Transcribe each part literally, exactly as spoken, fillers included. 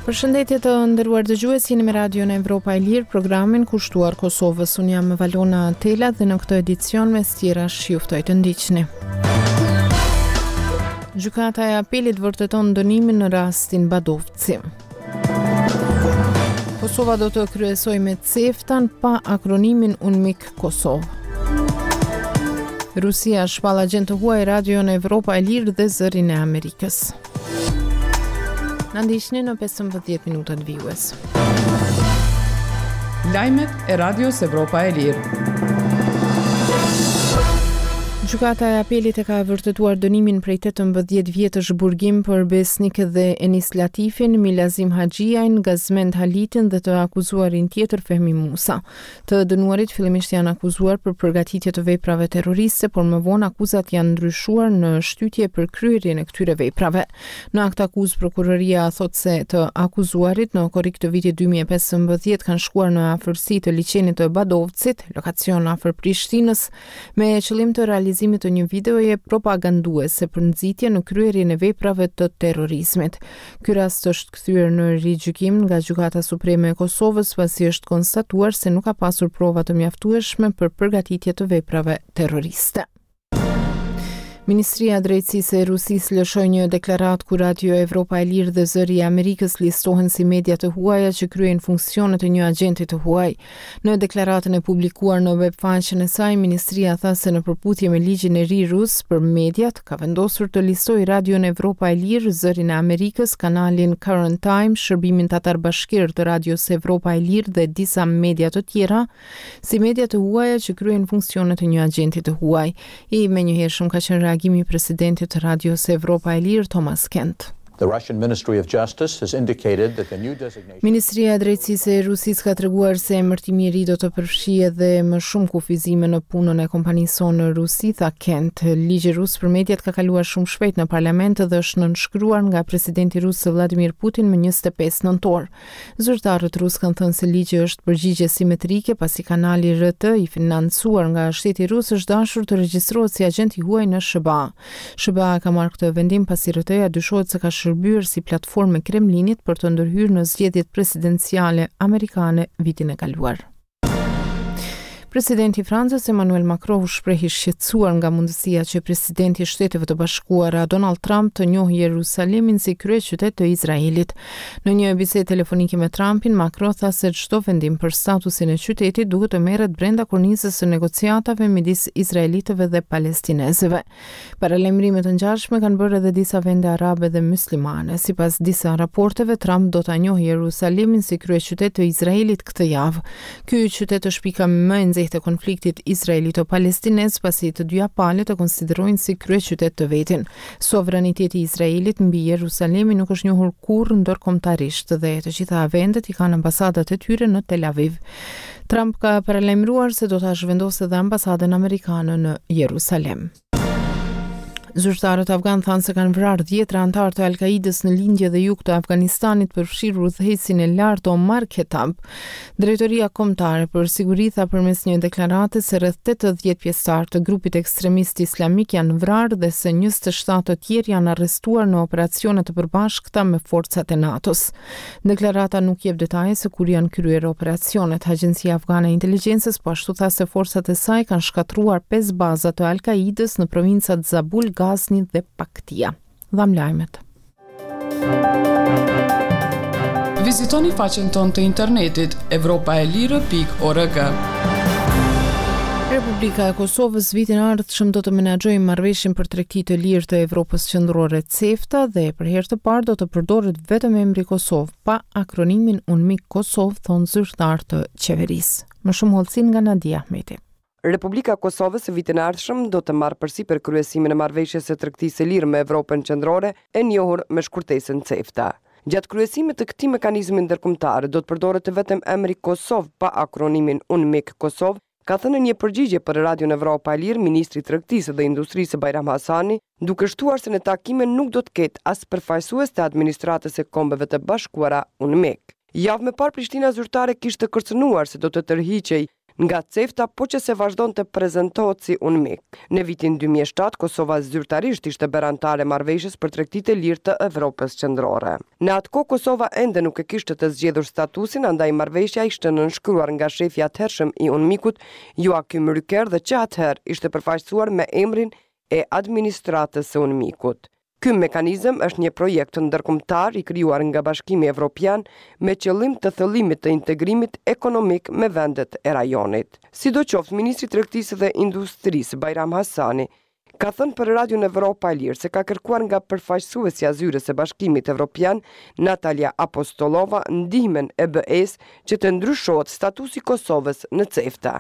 Përshëndetje të nderuar dëgjues, jeni me Radion Evropa e Lirë, programin kushtuar Kosovës. Unë jam Valona Tela dhe në këtë edicion mes tjerash ju ftoj të ndiqni. Gjykata e Apelit vërteton dënimin në rastin Badovci. Kosova do të kryesojë me CEFTA-n pa akronimin UNMIK Kosovë. Rusia shpall agent të huaj Radion Evropa e Lirë dhe Zërin e Amerikës. Na ndiqni në pesëmbëdhjetë minutat vijues. Lajmet e Radios Evropa e Lirë. Gjykata e Apelit e ka vërtetuar dënimin prej tetëmbëdhjetë vjetësh burgim për Besnik dhe Enis Latifin, Milazim Haxhiajn, Gazmend Halitin dhe të akuzuarin tjetër Fehmi Musa. Të dënuarit fillimisht janë akuzuar për përgatitje të veprave terroriste, por më vonë akuzat janë ndryshuar në shtytje për kryerjen e këtyre veprave. Në akt akuzë prokuroria thotë se të akuzuarit në korrik të vitit dy mijë e pesëmbëdhjetë kanë shkuar në afërsi të liqenit të Badovcit, lokacion afër Prishtinës, me qëllim të realizimit të një videoje propaganduese për nxitje në kryerjen e veprave të terrorizmit. Ky rast është kthyer në rigjykim nga Gjykata Supreme e Kosovës, pasi është konstatuar se nuk ka pasur prova të mjaftueshme për përgatitje të veprave terroriste. Ministria e Drejtësisë e Rusisë lëshoi një deklaratë ku Radio Evropa e Lirë dhe Zëri i Amerikës listohen si media të huaja që kryejnë funksionet e një agenti të huaj. Në deklaratën e publikuar në webfaqen e saj, ministria tha se në përputhje me ligjin e ri rus për mediat, ka vendosur të listojë Radion Evropa e Lirë, Zërin e Amerikës, kanalin Current Time, shërbimin Tatar Bashkir të Radios Evropa e Lirë dhe disa media të tjera, si media të huaja që kryejnë funksionet e një agenti të huaj. I menjëhershëm ka qenë reagimi i presidentit të Radios Evropa e Lirë, Thomas Kent. The Russian Ministry of Justice has indicated that the new designation Ministria e Drejtësisë e Rusisë ka treguar se emërtimi i ri do të përfshijë edhe më shumë kufizime në punën e kompanisë sonë në Rusi, tha Kent. Ligji rus për mediat ka kaluar shumë shpejt në parlament dhe është nënshkruar nga presidenti rus Vladimir Putin më njëzet e pesë nëntor. Zyrtarët rus kanë thënë se ligji është përgjigje simetrike pasi kanali R T i financuar nga shteti rus është dashur të regjistrohet si agent i huaj në S H B A. S H B A ka marrë këtë vendim pasi R T-ja dyshohet se ka shërbyer si platformë e Kremlinit për të ndërhyrë në zgjedhjet presidenciale amerikane vitin e kaluar. Presidenti i Francës Emmanuel Macron u shpreh i shqetësuar nga mundësia që presidenti i Shteteve të Bashkuara Donald Trump të njohë Jeruzalemin si kryeqytet të Izraelit. Në një bisedë telefonike me Trumpin, Macron tha se çdo vendim për statusin e qytetit duhet të merret brenda kornizës së negociatave midis izraelitëve dhe palestinezëve. Paralajmërime të ngjashme kanë bërë edhe disa vende arabe dhe muslimane. Sipas disa raporteve, Trump do ta njohë Jeruzalemin si kryeqytet të Izraelit këtë javë. Ky qytet është pika më e nxehtë e konfliktit izraelito-palestinez, pasi të dyja palët e konsiderojnë si kryeqytet të vetin. Sovraniteti i Izraelit mbi Jeruzalemin nuk është njohur kurrë ndërkombëtarisht dhe të gjitha vendet i kanë ambasadat e tyre në Tel Aviv. Trump ka paralajmëruar se do ta zhvendosë edhe ambasadën amerikane në Jeruzalem. Zyrtarët afgan thanë se kanë vrarë dhjetra anëtarë të Al-Qaidës në lindje dhe jug të Afganistanit, përfshirë udhëheqësin e lartë Omar Khattab. Drejtoria Kombëtare për Siguri tha përmes një deklarate se rreth tetëdhjetë pjesëtarë të grupit ekstremist islamik janë vrarë dhe se njëzet e shtatë të tjerë janë arrestuar në operacione të përbashkëta me forcat e NATO-s. Deklarata nuk jep detaje se kur janë kryer operacionet. Agjencia Afgane e Inteligjencës po ashtu tha se forcat e saj kanë shkatërruar pesë baza të Al-Qaidës në provincat Zabul, Ghazni dhe Paktia. Dham lajmet. Vizitoni faqen tonë të internetit evropa e lirë pikë org. Republika e Kosovës vitin e ardhshëm do të menaxhojë marrëveshjen për tregti të lirë të Evropës Qendrore CEFTA dhe për herë të parë do të përdoret vetëm emri Kosovë, pa akronimin UNMIK Kosovë, thonë zyrtarë të qeverisë. Më shumë hollësi nga Nadia Ahmeti. Republika e Kosovës vitin e ardhshëm do të marrë përsipër kryesimin e marrëveshjes së tregtisë së lirë me Evropën Qendrore, e njohur me shkurtesën CEFTA. Gjatë kryesimit të këtij mekanizmi ndërkombëtar do të përdoret vetëm emri Kosovë pa akronimin UNMIK Kosovë, ka thënë në një përgjigje për Radion Evropa e Lirë ministri i Tregtisë dhe Industrisë Bajram Hasani, duke shtuar se në takime nuk do të ketë as përfaqësues të administratës së Kombeve të Bashkuara UNMIK. Javë më parë Prishtina zyrtare kishte kërcënuar se do të tërhiqej nga CEFTA po që se vazhdon të prezentohet si UNMIK. Në vitin dy mijë e shtatë, Kosova zyrtarisht ishte bërë anëtare e marrëveshjes për tregti të lirë të Evropës Qendrore. Në atë kohë Kosova ende nuk e kishte të zgjedhur statusin, andaj marrëveshja ishte nënshkruar nga shefi i atëhershëm i UNMIK-ut, Joachim Rücker, dhe që atëherë ishte përfaqësuar me emrin e administratës së UNMIK-ut. Ky mekanizëm është një projekt ndërkombëtar i krijuar nga Bashkimi Evropian me qëllim të thellimit të integrimit ekonomik me vendet e rajonit. Sidoqoftë, ministri i Tregtisë dhe Industrisë Bajram Hasani ka thënë për Radion Evropa e Lirë se ka kërkuar nga përfaqësuesja e zyrës së Bashkimit Evropian, Natalia Apostolova, ndihmën e B E-s që të ndryshohet statusi i Kosovës në CEFTA.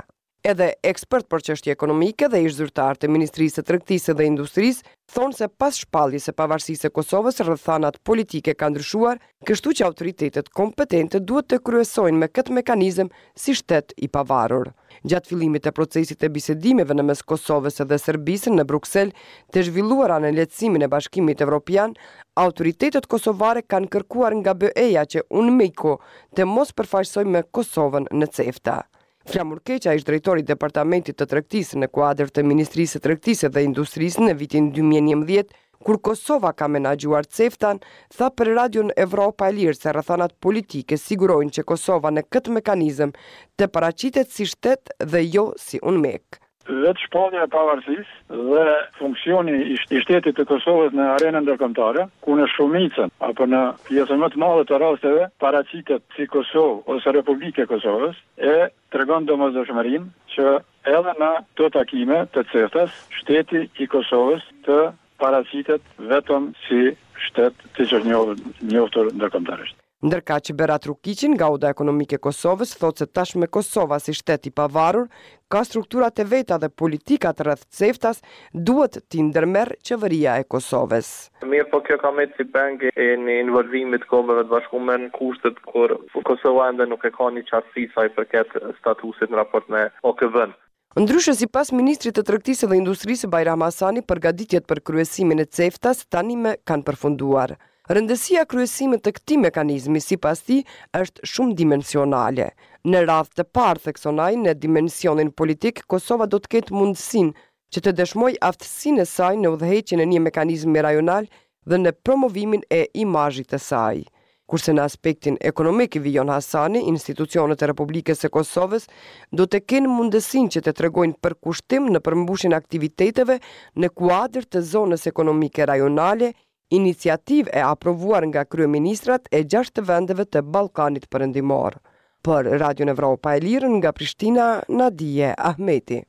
Edhe ekspert për çështje ekonomike dhe ish zyrtar të Ministrisë së Tregtisë dhe Industrisë thonë se pas shpalljes së pavarësisë së Kosovës rrethanat politike kanë ndryshuar, kështu që autoritetet kompetente duhet të kryesojnë me këtë mekanizëm si shtet i pavarur. Gjatë fillimit të procesit të bisedimeve në mes Kosovës dhe Serbisë në Bruksel, të zhvilluara në lehtësimin e Bashkimit Evropian, autoritetet kosovare kanë kërkuar nga B E-ja që UNMIK-u të mos përfaqësojë me Kosovën në CEFTA. Flamur Keqa, ish drejtori i Departamentit të Tregtisë në kuadër të Ministrisë së Tregtisë dhe Industrisë në vitin dy mijë e njëmbëdhjetë, kur Kosova ka menaxhuar CEFTA-n, tha për Radion Evropa e Lirë se rrethanat politike sigurojnë që Kosova në këtë mekanizëm të paraqitet si shtet dhe jo si UNMIK. Vetë shpallja e pavarësisë dhe funksioni i sh-, i shtetit të Kosovës në arenën ndërkombëtare, ku në shumicën apo në pjesën më të madhe të rasteve paraqitet si Kosovë ose Republikë e Kosovës, e tregon domosdoshmërinë që edhe në këto takime të CEFTA-s, shteti i Kosovës të paraqitet vetëm si shtet siç është njohur, njohur ndërkombëtarisht. Ndërkaq Berat Rukiqi nga Oda Ekonomike e Kosovës thotë se tashmë Kosova si shtet i pavarur ka strukturat e veta dhe politikat rreth CEFTA-s duhet t'i ndërmerr qeveria e Kosovës. Mirë, po kjo ka mbetur si peng e një involvimit të Kombeve të Bashkuara në kushtet kur Kosova ende nuk e ka një qartësi sa i përket statusit në raport me O K B-n. Ndryshe, sipas Ministrit të Tregtisë dhe Industrisë Bajram Hasani, përgatitjet për kryesimin e CEFTA-s tanimë kanë përfunduar. Rëndësia e kryesimit të këtij mekanizmi, sipas tij, është shumë dimensionale. Në radhë të parë, thekson ai, në dimensionin politik, Kosova do të ketë mundësinë që të dëshmojë aftësinë e saj në udhëheqjen e një mekanizmi rajonal dhe në promovimin e imazhit të saj. Kurse në aspektin ekonomik, vijon Hasani, institucionet e Republikës së Kosovës do të kenë mundësinë që të tregojnë përkushtim në përmbushjen e aktiviteteve në kuadër të zonës ekonomike rajonale, iniciativë e aprovuar nga kryeministrat e gjashtë vendeve të Ballkanit Perëndimor. Për Radion Evropa e Lirë nga Prishtina, Nadie Ahmeti.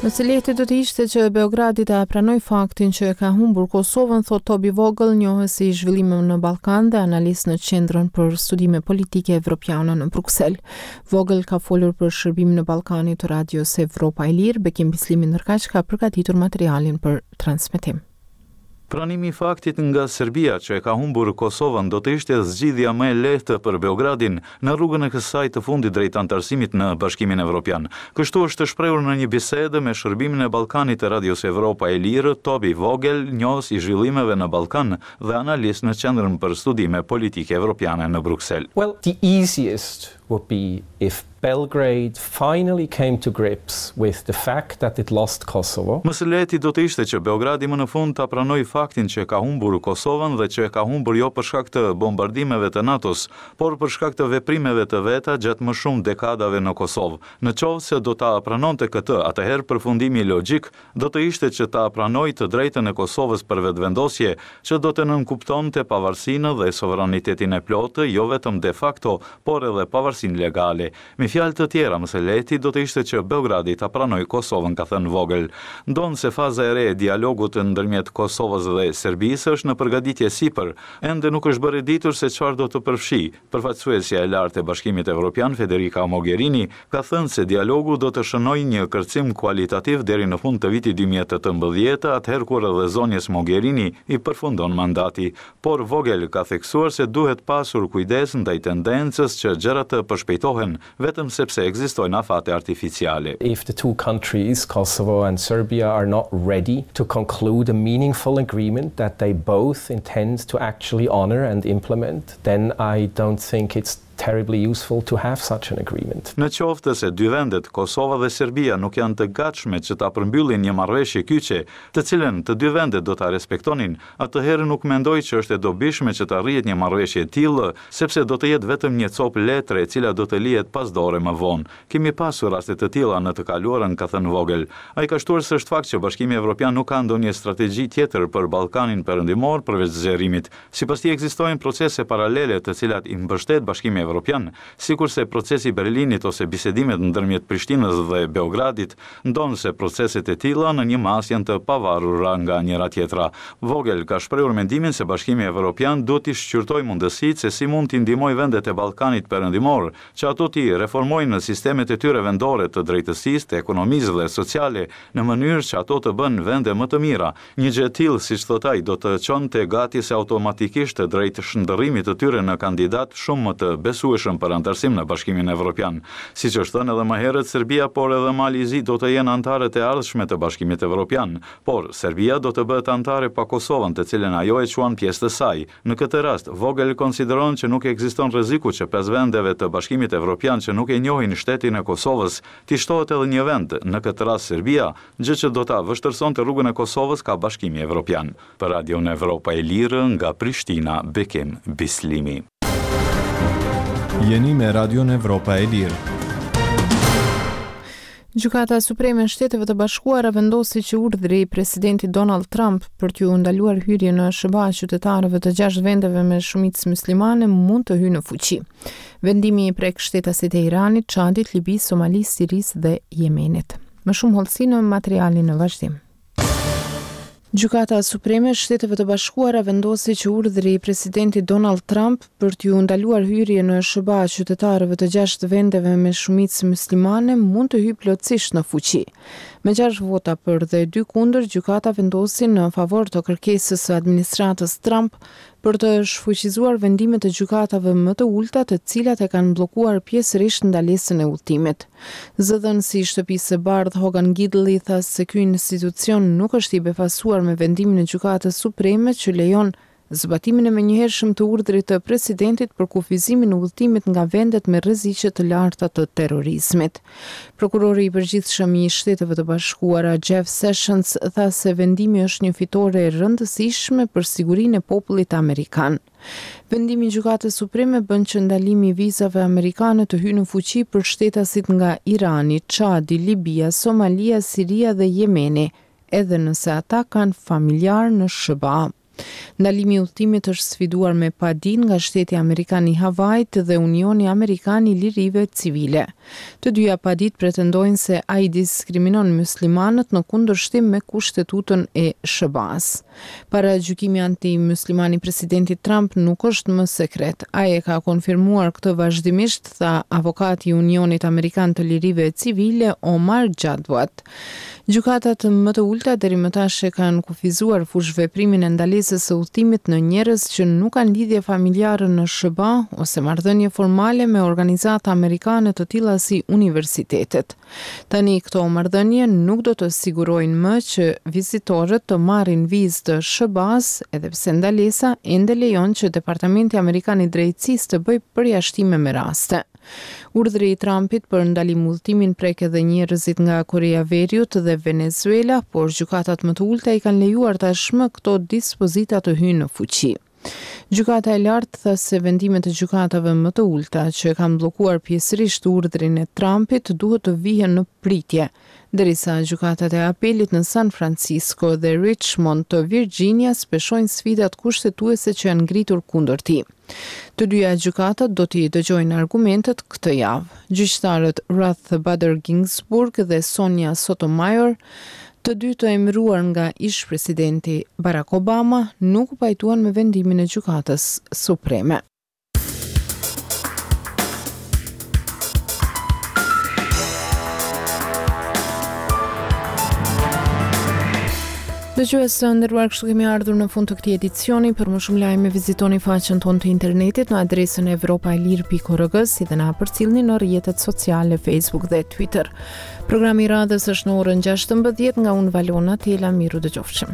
Më së lehti do të ishte që Beogradi ta pranoj faktin që e ka humbur Kosovën, thot Toby Vogel, njohës i zhvillimeve në Ballkan dhe analist në Qendrën për Studime Politike Evropiane në Bruksel. Vogel ka folur për shërbimin në Ballkanit të Radios Evropa e Lirë. Bekim Bislimi ndërkaq ka përgatitur materialin për transmetim. Pranimi i faktit nga Serbia që e ka humbur Kosovën do të ishte zgjidhja më e lehtë për Beogradin në rrugën e kësaj të fundit drejt anëtarësimit në Bashkimin Evropian. Kështu është shprehur në një bisedë me shërbimin e Ballkanit të Radios Evropa e Lirë, Toby Vogel, njohës i zhvillimeve në Ballkan dhe analist në Qendrën për Studime Politike Evropiane në Bruksel. Well, the easiest would be if Belgrade finally came to grips with the fact that it lost Kosovo. Më së lehti do të ishte që Beogradi më në fund ta pranojë faktin që ka humbur Kosovën dhe që e ka humbur jo për shkak të bombardimeve të NATO-s, por për shkak të veprimeve të veta gjatë më shumë dekadave në Kosovë. Në qoftë se do ta pranonte këtë, atëherë përfundimi logjik do të ishte që ta pranojë të drejtën e Kosovës për vetëvendosje, që do të nënkuptonte pavarësinë dhe sovranitetin e plotë, jo vetëm de facto, por edhe pavarësinë legale. Me fjalë të tjera, më së lehti do të ishte që Beogradi ta pranojë Kosovën, ka thënë Vogel. Ndonëse faza e re e dialogut ndërmjet Kosovës dhe Serbisë është në përgatitje sipër, ende nuk është bërë e ditur se çfarë do të përfshijë. Përfaqësuesja e lartë e Bashkimit Evropian, Federica Mogherini, ka thënë se dialogu do të shënojë një kërcim kualitativ deri në fund të vitit dy mijë e tetëmbëdhjetë, atëherë kur edhe zonjës Mogherini i përfundon mandati. Por Vogel ka theksuar se duhet pasur kujdes ndaj tendencës që gjërat të përshpejtohen, vetëm sepse ekzistojnë afate artificiale. If the two countries, Kosovo and Serbia, are not ready to conclude a meaningful agreement that they both intend to actually honor and implement, then I don't think it's terribly useful to have such an agreement. Në qoftë se dy vendet, Kosova dhe Serbia, nuk janë të gatshme që ta përmbyllin një marrëveshje kyçe, të cilën të dy vendet do ta respektonin, atëherë nuk mendoj që është e dobishme që të arrihet një marrëveshje e tillë, sepse do të jetë vetëm një copë letre e cila do të lihet pas dore më vonë. Kemi pasur raste të tilla në të kaluarën, ka thënë Vogel. Ai ka shtuar se është fakt që Bashkimi Evropian nuk ka ndonjë strategji tjetër për Ballkanin Perëndimor përveç zgjerimit. Sipas tij ekzistojnë procese paralele të cilat i mbështet Bashkimi Evropian, sikurse procesi i Berlinit ose bisedimet ndërmjet Prishtinës dhe Beogradit, ndonëse proceset e tilla në një masë janë të pavarura nga njëra tjetra. Vogel ka shprehur mendimin se Bashkimi Evropian duhet të shqyrtojë mundësitë se si mund t'i ndihmojë vendet e Ballkanit Perëndimor, që ato t'i reformojnë sistemet e tyre vendore të drejtësisë, të ekonomisë dhe sociale, në mënyrë që ato të bëhen vende më të mira. Një gjë e tillë, siç thot ai, do të çonte gati se automatikisht drejt shndërrimit të tyre në kandidat shumë më të besueshëm për anëtarësim në Bashkimin Evropian. Siç është thënë edhe më herët, Serbia por edhe Mali i Zi do të jenë anëtarët e ardhshme të Bashkimit Evropian, por Serbia do të bëhet anëtare pa Kosovën, të cilën ajo e quan pjesë të saj. Në këtë rast, Vogel konsideron që nuk ekziston rreziku që pesë vendeve të Bashkimit Evropian që nuk e njohin shtetin e Kosovës, t'i shtohet edhe një vend, në këtë rast Serbia, gjë që do ta vështirësonte rrugën e Kosovës ka Bashkimi Evropian. Për Radion Evropa e Lirë nga Prishtina, Bekim Bislimi. Jeni me Radion Evropa e Lirë. Gjykata Supreme e Shteteve të Bashkuara vendosi që urdhri i presidentit Donald Trump për t'ju ndaluar hyrjen në S H B A qytetarëve të gjashtë vendeve me shumicë muslimane mund të hyjë në fuqi. Vendimi i prek shtetasit e Iranit, Çadit, Libisë, Somalisë, Sirisë dhe Jemenit. Më shumë hollësi në materialin në vazhdim. Gjykata Supreme e Shteteve të Bashkuara vendosi që urdhri i presidentit Donald Trump për t'ju ndaluar hyrje në S H B A qytetarëve të gjashtë vendeve me shumicë muslimane mund të hyjë plotësisht në fuqi. Me gjashtë vota për dhe dy kundër, gjykata vendosi në favor të kërkesës së administratës Trump për të shfuqizuar vendimet e gjykatave më të ulta, të cilat e kanë bllokuar pjesërisht ndalesën e udhëtimit. Zëdhënësi i Shtëpisë së Bardhë Hogan Gidley tha se ky institucion nuk është i befasuar me vendimin e Gjykatës Supreme që lejon zbatimin e menjëhershëm të urdhrit të presidentit për kufizimin e udhëtimit nga vendet me rreziqe të larta të terrorizmit. Prokurori i përgjithshëm i Shteteve të Bashkuara Jeff Sessions tha se vendimi është një fitore e rëndësishme për sigurinë e popullit amerikan. Vendimi i Gjykatës Supreme bën që ndalimi i vizave amerikane të hyjë në fuqi për shtetasit nga Irani, Çadi, Libia, Somalia, Siria dhe Jemeni, edhe nëse ata kanë familjar në S H B A. Ndalimi i udhëtimit është sfiduar me padi nga shteti amerikan i Havajit dhe Unioni Amerikan i Lirive Civile. Të dyja padit pretendojnë se ai diskriminon muslimanët në kundërshtim me kushtetutën e S H B A-s. Paragjykimi anti-musliman i presidentit Trump nuk është më sekret. Ai e ka konfirmuar këtë vazhdimisht, tha avokati i Unionit Amerikan të Lirive Civile Omar Jadwat. Gjykatat më të ulta deri më tash e kanë kufizuar fushëveprimin e ndalesës së udhëtimit në njerëz që nuk kanë lidhje familjare në S H B A ose marrëdhënie formale me organizata amerikane të tilla si universitetet. Tani këto marrëdhënie nuk do të sigurojnë më që vizitorët të marrin vizë të S H B A-s, edhe pse ndalesa ende lejon që Departamenti Amerikan i Drejtësisë të bëjë përjashtime me raste. Urdhri i Trumpit për ndalim udhëtimin prek edhe njerëzit nga Korea Veriut dhe Venezuela, por gjykatat më të ulta i kanë lejuar tashmë këto dispozita të hyjnë në fuqi. Gjykata e lartë tha se vendimet e gjykatave më të ulta që e kanë bllokuar pjesërisht urdhrin e Trumpit duhet të vihen në pritje, derisa gjykatat e apelit në San Francisco dhe Richmond të Virginias peshojnë sfidat kushtetuese që janë ngritur kundër tij. Të dyja gjykatat do t'i dëgjojnë argumentet këtë javë. Gjyqtarët Ruth Bader Ginsburg dhe Sonia Sotomayor, të dy të emëruar nga ish-presidenti Barack Obama, nuk u pajtuan me vendimin e Gjykatës Supreme. Dëgjues të nderuar, kështu kemi ardhur në fund të këtij edicioni. Për më shumë lajme vizitoni faqen tonë të internetit në adresën evropaelire pikë org, si dhe na përcillni në rrjetet sociale Facebook dhe Twitter. Programi i radhës është në orën gjashtëmbëdhjetë. Nga unë, Valona Tela, miru dëgjofshim.